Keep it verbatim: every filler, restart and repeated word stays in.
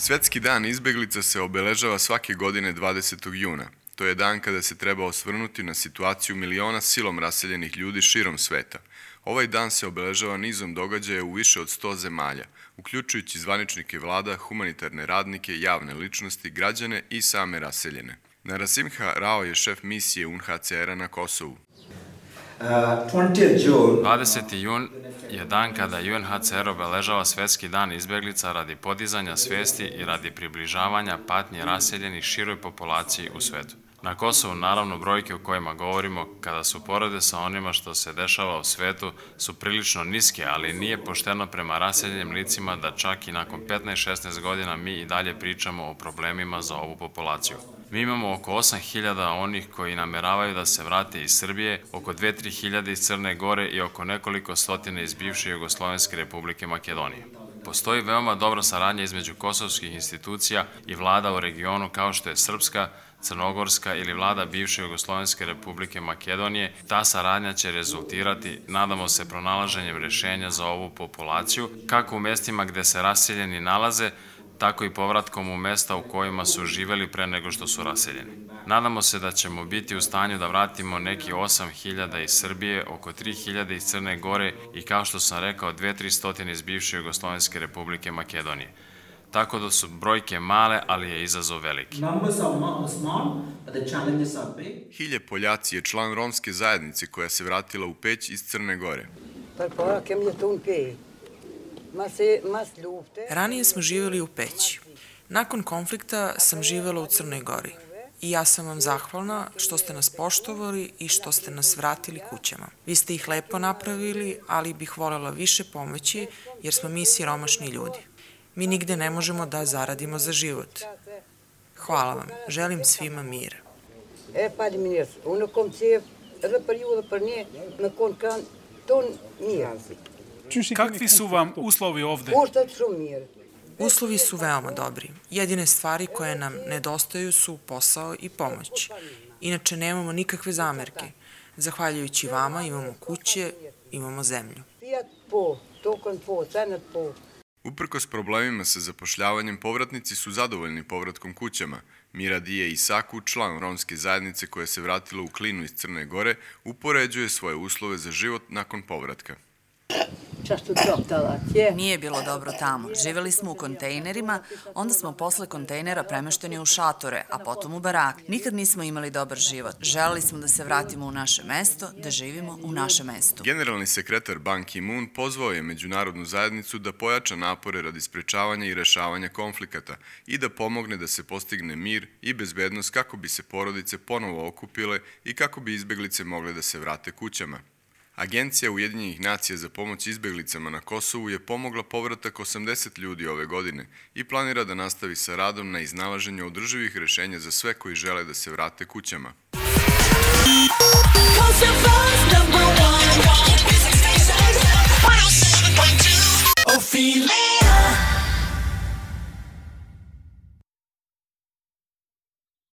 Svetski dan izbeglica se obeležava svake godine dvadesetog juna. To je dan kada se treba osvrnuti na situaciju miliona silom raseljenih ljudi širom sveta. Ovaj dan se obeležava nizom događaja u više od sto zemalja, uključujući zvaničnike vlada, humanitarne radnike, javne ličnosti, građane i same raseljene. Narasimha Rao je šef misije U N H C R-a na Kosovu. dvadeseti jun je dan kada U N H C R obeležava Svetski dan izbeglica radi podizanja svesti i radi približavanja patnje raseljenih široj populaciji u svetu. Na Kosovu, naravno, brojke o kojima govorimo, kada su porede sa onima što se dešava u svetu, su prilično niske, ali nije pošteno prema raseljenim licima da čak i nakon petnaest šesnaest godina mi i dalje pričamo o problemima za ovu populaciju. Mi imamo oko osam hiljada onih koji nameravaju da se vrate iz Srbije, oko dve do tri hiljade iz Crne Gore i oko nekoliko stotine iz bivše Jugoslovenske Republike Makedonije. Postoji veoma dobra saradnja između kosovskih institucija i vlada u regionu kao što je Srpska, Crnogorska ili vlada bivše Jugoslovenske Republike Makedonije. Ta saradnja će rezultirati, nadamo se, pronalaženjem rešenja za ovu populaciju, kako u mestima gde se raseljeni nalaze, tako i povratkom u mesta u kojima su živeli pre nego što su raseljeni. Nadamo se da ćemo biti u stanju da vratimo neki osam hiljada iz Srbije, oko tri hiljade iz Crne Gore i, kao što sam rekao, dve do tri stotine iz bivše Jugoslovenske Republike Makedonije. Tako da su brojke male, ali je izazov veliki. Hilje Poljaci je član romske zajednice koja se vratila u Peć iz Crne Gore. Ranije smo živjeli u Peći. Nakon konflikta sam živjela u Crnoj Gori. I ja sam vam zahvalna što ste nas poštovali i što ste nas vratili kućama. Vi ste ih lepo napravili, ali bih voljela više pomoći jer smo mi siromašni ljudi. Mi nigde ne možemo da zaradimo za život. Hvala vam. Želim svima mir. Kakvi su vam uslovi ovde? Uslovi su veoma dobri. Jedine stvari koje nam nedostaju su posao i pomoć. Inače nemamo nikakve zamerke. Zahvaljujući vama imamo kuće, imamo zemlju. Uprkos problemima sa zapošljavanjem, povratnici su zadovoljni povratkom kućama. Mira Dije Isaku, član romske zajednice koja se vratila u Klinu iz Crne Gore, upoređuje svoje uslove za život nakon povratka. Nije bilo dobro tamo. Živjeli smo u kontejnerima, onda smo posle kontejnera premešteni u šatore, a potom u barak. Nikad nismo imali dobar život. Želeli smo da se vratimo u naše mesto, da živimo u našem mestu. Generalni sekretar Ban Ki-moon pozvao je međunarodnu zajednicu da pojača napore radi sprečavanja i rešavanja konflikata i da pomogne da se postigne mir i bezbednost kako bi se porodice ponovo okupile i kako bi izbeglice mogle da se vrate kućama. Agencija Ujedinjenih nacija za pomoć izbeglicama na Kosovu je pomogla povratak osamdeset ljudi ove godine i planira da nastavi sa radom na iznalaženju održivih rešenja za sve koji žele da se vrate kućama. Kosovo's number one.